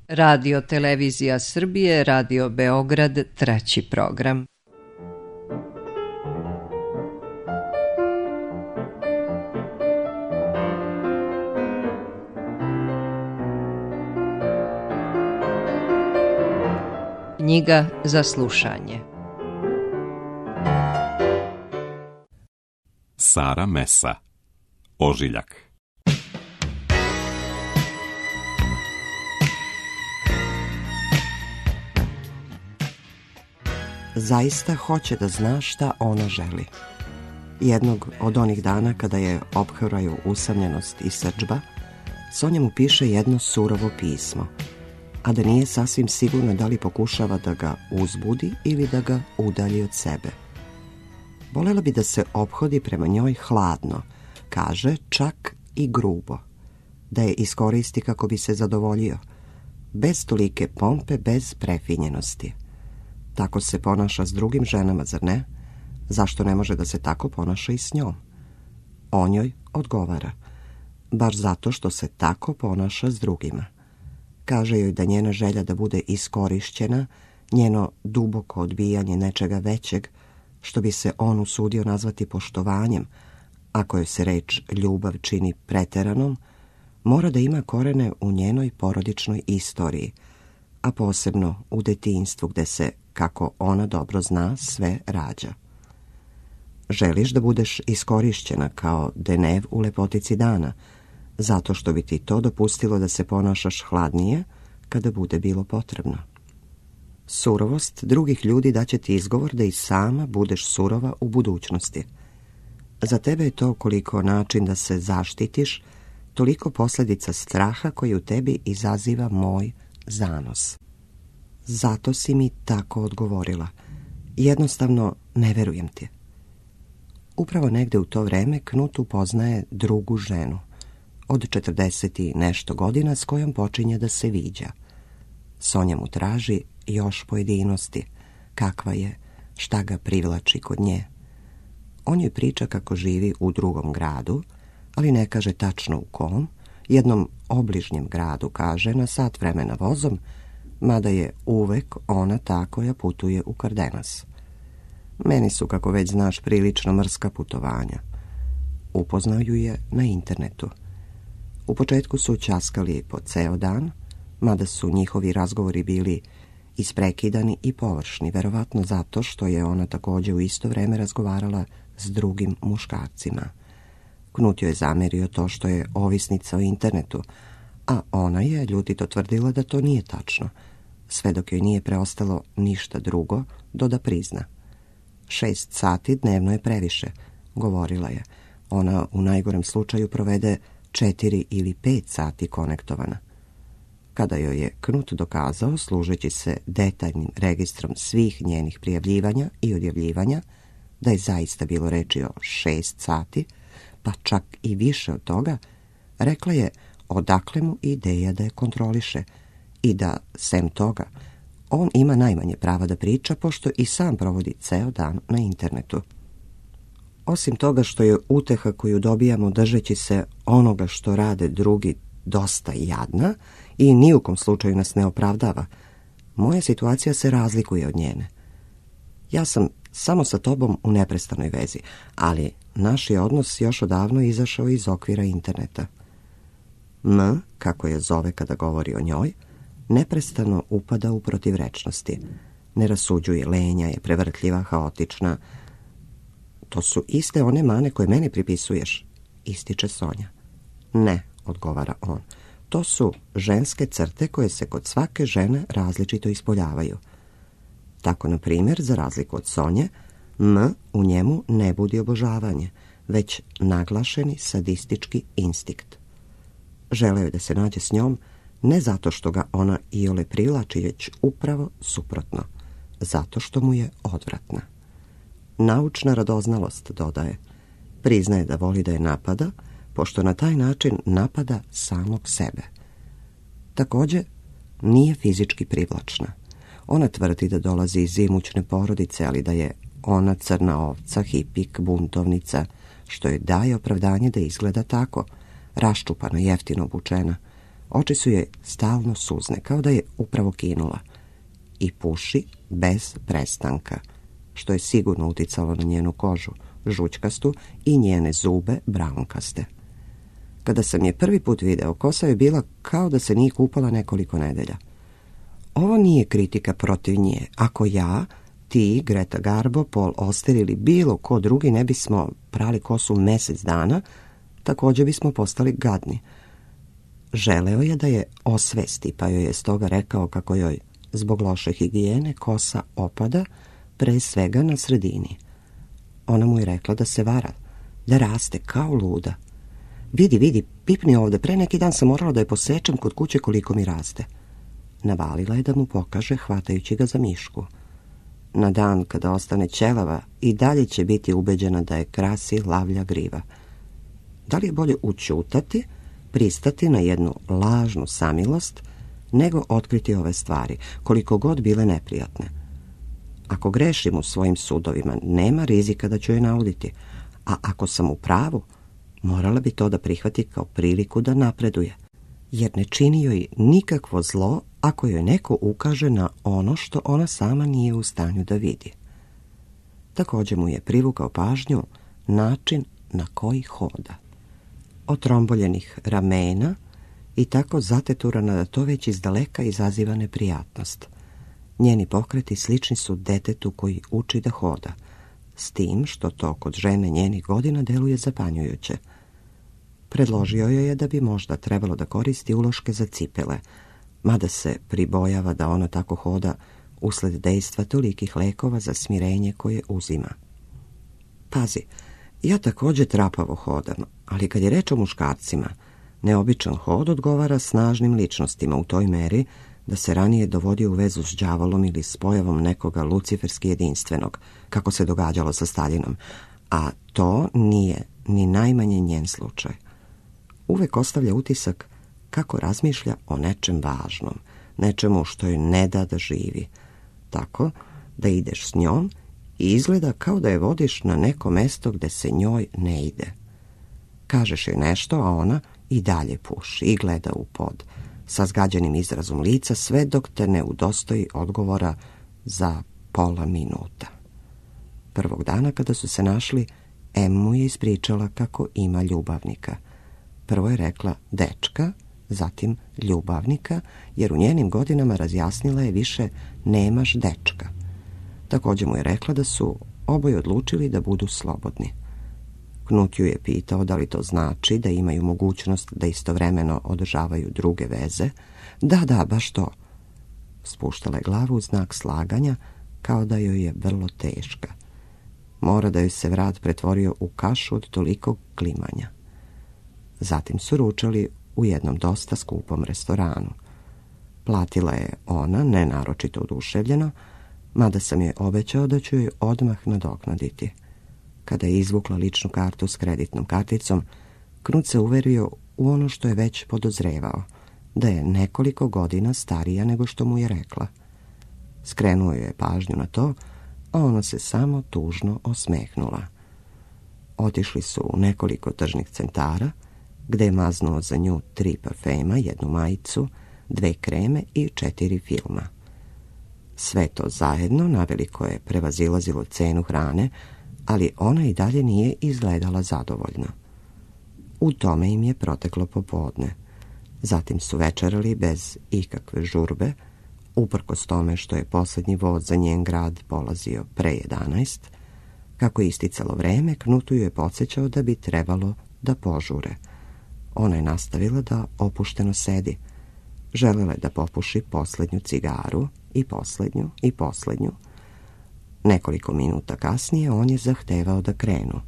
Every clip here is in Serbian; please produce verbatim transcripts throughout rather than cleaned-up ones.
Radio Televizija Srbije, Radio Beograd, treći program. Knjiga za slušanje. Sara Mesa, Ožiljak. Zaista hoće da zna šta ona želi. Jednog od onih dana kada je ophraju usamljenost i srdžba, Sonja mu piše jedno surovo pismo, a da nije sasvim sigurno da li pokušava da ga uzbudi ili da ga udalji od sebe. Volela bi da se ophodi prema njoj hladno, kaže čak i grubo, da je iskoristi kako bi se zadovoljio, bez tolike pompe, bez prefinjenosti. Tako se ponaša s drugim ženama, zar ne? Zašto ne može da se tako ponaša i s njom? On joj odgovara, baš zato što se tako ponaša s drugima. Kaže joj da njena želja da bude iskorišćena, njeno duboko odbijanje nečega većeg, što bi se on usudio nazvati poštovanjem, ako joj se reč ljubav čini preteranom, mora da ima korene u njenoj porodičnoj istoriji, a posebno u detinjstvu gde se, kako ona dobro zna, sve rađa. Želiš da budeš iskorišćena kao denev u lepotici dana, zato što bi ti to dopustilo da se ponašaš hladnije kada bude bilo potrebno. Surovost drugih ljudi daće ti izgovor da i sama budeš surova u budućnosti. Za tebe je to koliko način da se zaštitiš, toliko posljedica straha koji u tebi izaziva moj zanos. Zato si mi tako odgovorila. Jednostavno ne verujem ti. Upravo negde u to vreme Knut upoznaje drugu ženu, od četrdeset i nešto godina, s kojom počinje da se viđa. Sonja mu traži još pojedinosti, kakva je, šta ga privlači kod nje. On joj priča kako živi u drugom gradu, ali ne kaže tačno u kom, jednom obližnjem gradu, kaže, na sat vremena vozom, mada je uvek ona ta koja putuje u Kardenas. Meni su, kako već znaš, prilično mrska putovanja. Upoznao ju je na internetu. U početku su ćaskali po ceo dan, mada su njihovi razgovori bili isprekidani i površni, verovatno zato što je ona također u isto vreme razgovarala s drugim muškarcima. Knut joj je zamerio to što je ovisnica o internetu, a ona je ljutito tvrdila da to nije tačno, sve dok joj nije preostalo ništa drugo do da prizna. Šest sati dnevno je previše, govorila je. Ona u najgorem slučaju provede četiri ili pet sati konektovana. Kada joj je Knut dokazao, služeći se detaljnim registrom svih njenih prijavljivanja i odjavljivanja, da je zaista bilo reči o šest sati, pa čak i više od toga, rekla je odakle mu ideja da je kontroliše i da, sem toga, on ima najmanje prava da priča, pošto i sam provodi ceo dan na internetu. Osim toga što je uteha koju dobijamo držeći se onoga što rade drugi dosta jadna i ni u kom slučaju nas ne opravdava, moja situacija se razlikuje od njene. Ja sam samo sa tobom u neprestanoj vezi, ali naš je odnos još odavno izašao iz okvira interneta. M, kako je zove kada govori o njoj, neprestano upada u protivrečnosti. Ne rasuđuje, lenja je, prevrtljiva, haotična. To su iste one mane koje meni pripisuješ, ističe Sonja. Ne, odgovara on, to su ženske crte koje se kod svake žene različito ispoljavaju. Tako, na primjer, za razliku od Sonje, M u njemu ne budi obožavanje, već naglašeni sadistički instinkt. Želeo je da se nađe s njom, ne zato što ga ona iole privlači, već upravo suprotno, zato što mu je odvratna. Naučna radoznalost, dodaje, priznaje da voli da je napada, pošto na taj način napada samog sebe. Također, nije fizički privlačna. Ona tvrdi da dolazi iz imućne porodice, ali da je ona crna ovca, hipik, buntovnica, što joj daje opravdanje da izgleda tako, raščupano, jeftino obučena. Oči su je stalno suzne, kao da je upravo kinula. I puši bez prestanka, što je sigurno uticalo na njenu kožu, žućkastu, i njene zube braunkaste. Kada sam je prvi put video, kosa je bila kao da se nije kupala nekoliko nedelja. Ovo nije kritika protiv nje. Ako ja, ti, Greta Garbo, Paul Auster ili bilo ko drugi ne bismo prali kosu mjesec dana, također bismo postali gadni. Želeo je da je osvesti, pa joj je stoga rekao kako joj, zbog loše higijene, kosa opada, pre svega na sredini. Ona mu je rekla da se vara, da raste kao luda. Vidi, vidi, pipni ovdje, pre neki dan sam morala da je posečem kod kuće koliko mi raste. Navalila je da mu pokaže, hvatajući ga za mišku. Na dan kada ostane ćelava, i dalje će biti ubeđena da je krasi lavlja griva. Da li je bolje učutati, pristati na jednu lažnu samilost, nego otkriti ove stvari, koliko god bile neprijatne? Ako grešim u svojim sudovima, nema rizika da ću je nauditi, a ako sam u pravu, morala bi to da prihvati kao priliku da napreduje, jer ne čini joj nikakvo zlo ako joj neko ukaže na ono što ona sama nije u stanju da vidi. Također mu je privukao pažnju način na koji hoda. Otromboljenih ramena i tako zateturana da to već izdaleka izaziva neprijatnost. Njeni pokreti slični su detetu koji uči da hoda, s tim što to kod žene njenih godina deluje zapanjujuće. Predložio joj je da bi možda trebalo da koristi uloške za cipele, mada se pribojava da ona tako hoda usled dejstva tolikih lekova za smirenje koje uzima. Pazi, ja također trapavo hodam, ali kad je reč o muškarcima, neobičan hod odgovara snažnim ličnostima u toj meri da se ranije dovodio u vezu s đavolom ili s pojavom nekoga luciferski jedinstvenog, kako se događalo sa Staljinom, a to nije ni najmanje njen slučaj. Uvek ostavlja utisak kako razmišlja o nečem važnom, nečemu što joj ne da da živi, tako da ideš s njom i izgleda kao da je vodiš na neko mesto gde se njoj ne ide. Kažeš joj nešto, a ona i dalje puši i gleda u pod, sa zgađenim izrazom lica, sve dok te ne udostoji odgovora za pola minuta. Prvog dana kada su se našli, Em mu je ispričala kako ima ljubavnika. Prvo je rekla dečka, zatim ljubavnika, jer u njenim godinama, razjasnila je, više nemaš dečka. Također mu je rekla da su oboje odlučili da budu slobodni. Knut ju je pitao da li to znači da imaju mogućnost da istovremeno održavaju druge veze. Da, da, baš to. Spuštala je glavu u znak slaganja, kao da joj je vrlo teška. Mora da joj se vrat pretvorio u kašu od tolikog klimanja. Zatim su ručali u jednom dosta skupom restoranu. Platila je ona, ne naročito oduševljeno, mada sam joj obećao da ću joj odmah nadoknaditi. Kada je izvukla ličnu kartu s kreditnom karticom, Knut se uverio u ono što je već podozrevao, da je nekoliko godina starija nego što mu je rekla. Skrenuo joj je pažnju na to, a ona se samo tužno osmehnula. Otišli su u nekoliko tržnih centara, gde je maznuo za nju tri parfema, jednu majicu, dve kreme i četiri filma. Sve to zajedno naveliko je prevazilazilo cenu hrane, ali ona i dalje nije izgledala zadovoljno. U tome im je proteklo popodne. Zatim su večerali bez ikakve žurbe, uprkos tome što je posljednji voz za njen grad polazio pre jedanaest. Kako je isticalo vreme, Knutu ju je podsjećao da bi trebalo da požure. Ona je nastavila da opušteno sedi. Želela je da popuši posljednju cigaru i posljednju i posljednju. Nekoliko minuta kasnije on je zahtevao da krenu.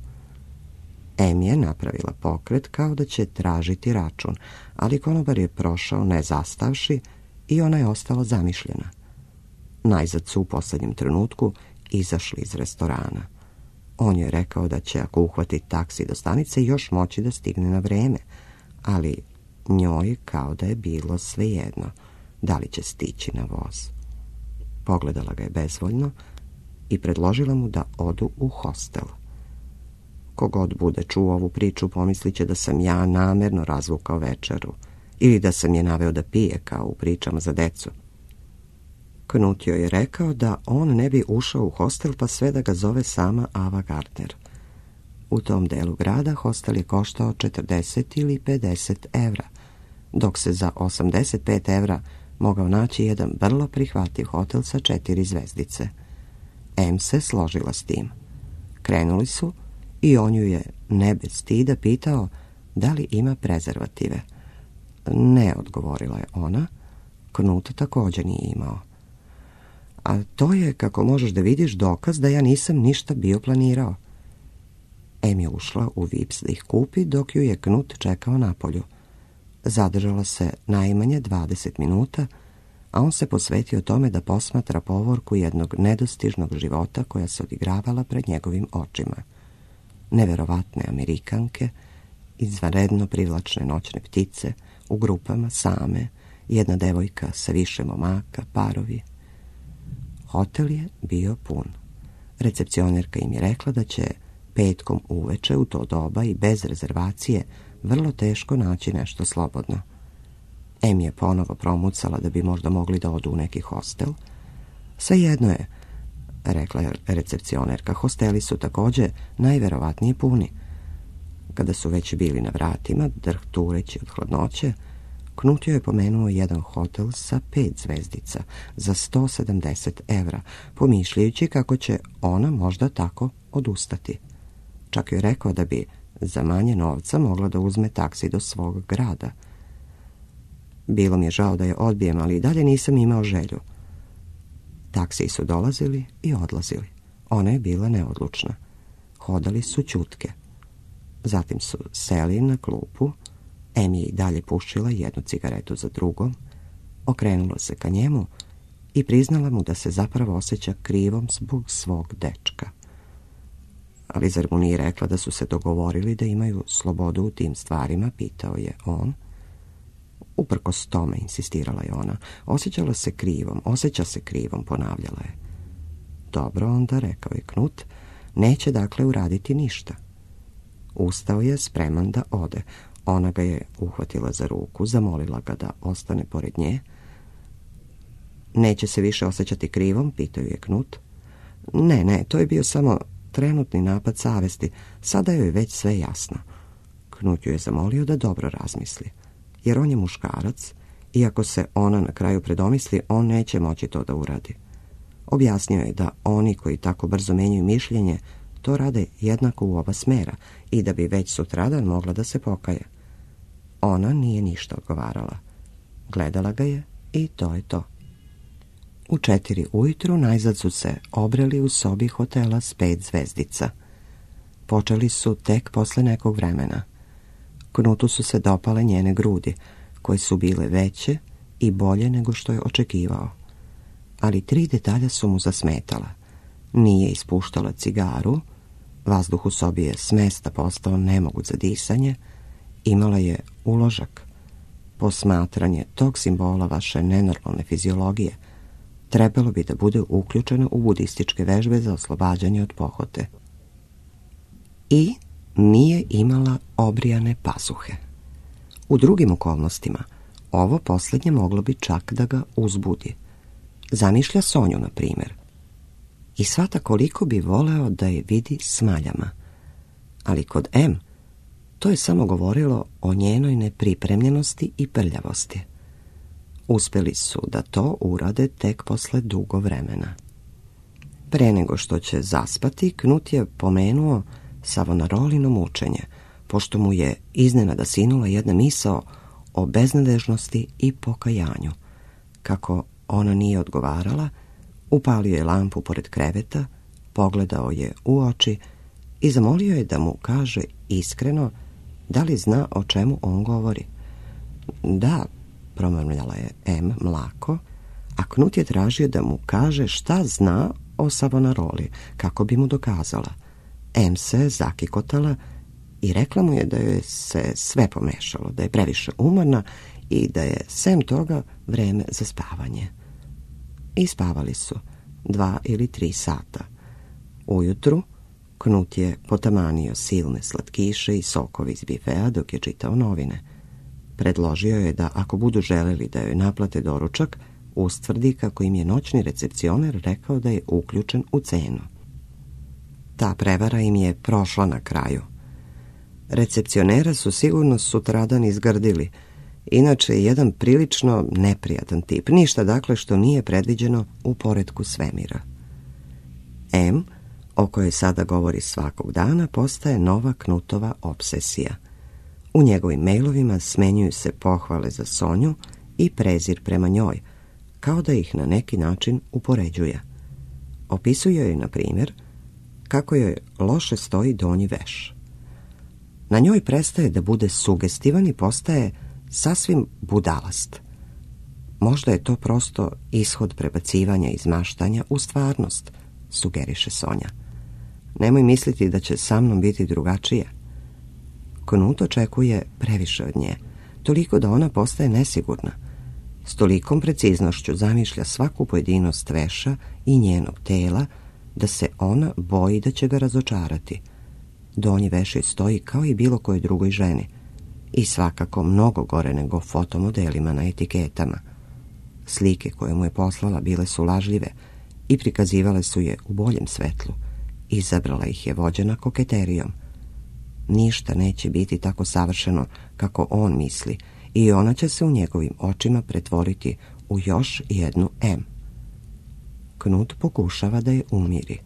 Em je napravila pokret kao da će tražiti račun, ali konobar je prošao ne zastavši i ona je ostala zamišljena. Najzad su u posljednjem trenutku izašli iz restorana. On je rekao da će, ako uhvati taksi do stanice, još moći da stigne na vreme, ali njoj kao da je bilo svejedno da li će stići na voz. Pogledala ga je bezvoljno i predložila mu da odu u hostel. Kogod bude čuo ovu priču pomislit će da sam ja namerno razvukao večeru ili da sam je naveo da pije, kao u pričama za decu. Knut joj je rekao da on ne bi ušao u hostel pa sve da ga zove sama Ava Gardner. U tom delu grada hostel je koštao četrdeset ili pedeset evra, dok se za osamdeset pet evra mogao naći jedan vrlo prihvatljiv hotel sa četiri zvezdice. Em se složila s tim. Krenuli su i on ju je, ne bez stida, pitao da li ima prezervative. Ne, odgovorila je ona. Knut također nije imao. A to je, kako možeš da vidiš, dokaz da ja nisam ništa bio planirao. Em je ušla u Vips da ih kupi, dok ju je Knut čekao napolju. Zadržala se najmanje dvadeset minuta, a on se posvetio tome da posmatra povorku jednog nedostižnog života koja se odigravala pred njegovim očima. Neverovatne Amerikanke, izvanredno privlačne noćne ptice, u grupama same, jedna devojka sa više momaka, parovi. Hotel je bio pun. Recepcionerka im je rekla da će petkom uveče u to doba i bez rezervacije vrlo teško naći nešto slobodno. Em je ponovo promucala da bi možda mogli da odu u neki hostel. Svejedno je, rekla je recepcionerka, hosteli su također najverovatnije puni. Kada su već bili na vratima, drhtureći od hladnoće, Knut joj je pomenuo jedan hotel sa pet zvezdica za sto sedamdeset evra, pomišljajući kako će ona možda tako odustati. Čak joj rekao da bi za manje novca mogla da uzme taksi do svog grada. Bilo mi je žao da je odbijem, ali i dalje nisam imao želju. Taksiji su dolazili i odlazili. Ona je bila neodlučna. Hodali su ćutke. Zatim su seli na klupu. Em je i dalje pušila jednu cigaretu za drugom. Okrenula se ka njemu i priznala mu da se zapravo osjeća krivom zbog svog dečka. Ali zar mu nije rekla da su se dogovorili da imaju slobodu u tim stvarima, pitao je on. Uprkos tome, insistirala je ona, osjećala se krivom, osjeća se krivom, ponavljala je. Dobro, onda, rekao je Knut, neće dakle uraditi ništa. Ustao je spreman da ode. Ona ga je uhvatila za ruku, zamolila ga da ostane pored nje. Neće se više osjećati krivom, pitao je Knut. Ne, ne, to je bio samo trenutni napad savesti, sada joj je već sve jasno. Knut ju je zamolio da dobro razmisli, jer on je muškarac i ako se ona na kraju predomisli, on neće moći to da uradi. Objasnio je da oni koji tako brzo menjaju mišljenje, to rade jednako u oba smera i da bi već sutradan mogla da se pokaje. Ona nije ništa odgovarala. Gledala ga je i to je to. U četiri ujutru najzad su se obreli u sobi hotela s pet zvezdica. Počeli su tek posle nekog vremena. Knutu su se dopale njene grudi, koje su bile veće i bolje nego što je očekivao. Ali tri detalja su mu zasmetala. Nije ispuštala cigaru, vazduh u sobi je smesta postao nemoguć za disanje, imala je uložak. Posmatranje tog simbola vaše nenormalne fiziologije trebalo bi da bude uključeno u budističke vežbe za oslobađanje od pohote. I nije imala obrijane pazuhe. U drugim okolnostima ovo posljednje moglo bi čak da ga uzbudi. Zamišlja Sonju, na primjer, i shvata koliko bi voleo da je vidi s maljama. Ali kod M to je samo govorilo o njenoj nepripremljenosti i prljavosti. Uspjeli su da to urade tek posle dugo vremena. Pre nego što će zaspati, Knut je pomenuo Savonarolino mučenje, pošto mu je iznenada sinula jedna misao o beznadežnosti i pokajanju. Kako ona nije odgovarala, upalio je lampu pored kreveta, pogledao je u oči i zamolio je da mu kaže iskreno da li zna o čemu on govori. Da, promrmljala je M mlako, a Knut je tražio da mu kaže šta zna o Savonaroli, kako bi mu dokazala. M se zakikotala i rekla mu je da joj se sve pomešalo, da je previše umorna i da je sem toga vreme za spavanje. I spavali su dva ili tri sata. Ujutru Knut je potamanio silne slatkiše i sokove iz bifea dok je čitao novine. Predložio je da ako budu želeli da joj naplate doručak, ustvrdi kako im je noćni recepcioner rekao da je uključen u cenu. Ta prevara im je prošla na kraju. Recepcionera su sigurno sutradan izgrdili, inače je jedan prilično neprijatan tip, ništa dakle što nije predviđeno u poretku svemira. M, o kojoj sada govori svakog dana, postaje nova Knutova obsesija. U njegovim mailovima smenjuju se pohvale za Sonju i prezir prema njoj, kao da ih na neki način upoređuje. Opisuje joj, na primjer, kako joj loše stoji donji veš. Na njoj prestaje da bude sugestivan i postaje sasvim budalast. Možda je to prosto ishod prebacivanja iz maštanja u stvarnost, sugeriše Sonja. Nemoj misliti da će sa mnom biti drugačije. Knut očekuje previše od nje, toliko da ona postaje nesigurna. S tolikom preciznošću zamišlja svaku pojedinost veša i njenog tela da se ona boji da će ga razočarati. Donji veš joj stoji kao i bilo kojoj drugoj ženi i svakako mnogo gore nego fotomodelima na etiketama. Slike koje mu je poslala bile su lažljive i prikazivale su je u boljem svetlu. Izabrala ih je vođena koketerijom. Ništa neće biti tako savršeno kako on misli i ona će se u njegovim očima pretvoriti u još jednu M. Knut pokušava da je umiri.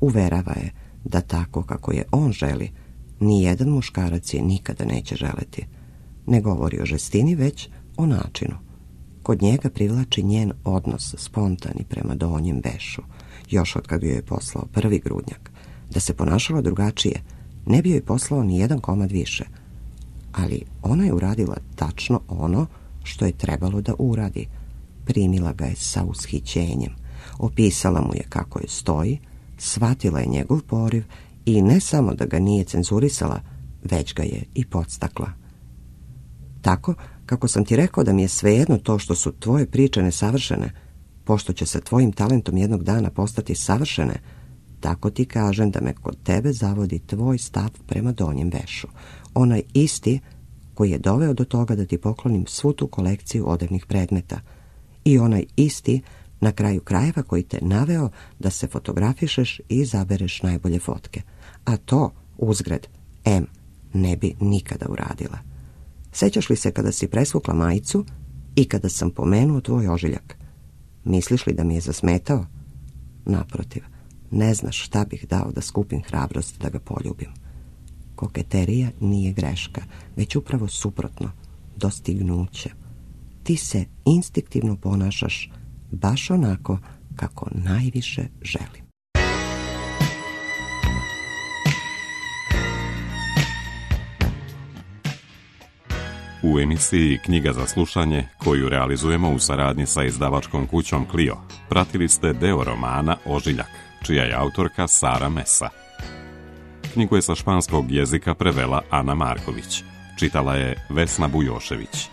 Uverava je da tako kako je on želi, nijedan muškarac je nikada neće želeti. Ne govori o žestini, već o načinu. Kod njega privlači njen odnos spontani prema donjem vešu, još od kad joj je poslao prvi grudnjak. Da se ponašala drugačije, ne bi joj poslao ni jedan komad više. Ali ona je uradila tačno ono što je trebalo da uradi. Primila ga je sa ushićenjem, opisala mu je kako je stoji, shvatila je njegov poriv i ne samo da ga nije cenzurisala, već ga je i podstakla. Tako, kako sam ti rekao da mi je svejedno to što su tvoje priče nesavršene, pošto će sa tvojim talentom jednog dana postati savršene, tako ti kažem da me kod tebe zavodi tvoj stav prema donjem vešu. Onaj isti koji je doveo do toga da ti poklonim svu tu kolekciju odevnih predmeta. I onaj isti, na kraju krajeva, koji te naveo da se fotografišeš i izabereš najbolje fotke. A to, uzgred, M ne bi nikada uradila. Sećaš li se kada si presvukla majicu i kada sam pomenuo tvoj ožiljak? Misliš li da mi je zasmetao? Naprotiv, ne znaš šta bih dao da skupim hrabrost da ga poljubim. Koketerija nije greška, već upravo suprotno, dostignuće. Ti se instinktivno ponašaš baš onako kako najviše želim. U emisiji Knjiga za slušanje, koju realizujemo u saradnji sa izdavačkom kućom Clio, pratili ste deo romana Ožiljak, čija je autorka Sara Mesa. Knjigu je sa španskog jezika prevela Ana Marković. Čitala je Vesna Bujošević.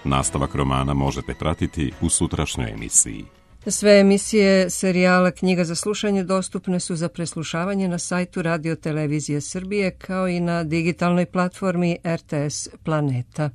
Nastavak romana možete pratiti u sutrašnjoj emisiji. Sve emisije serijala Knjiga za slušanje dostupne su za preslušavanje na sajtu Radio Televizije Srbije kao i na digitalnoj platformi R T S Planeta.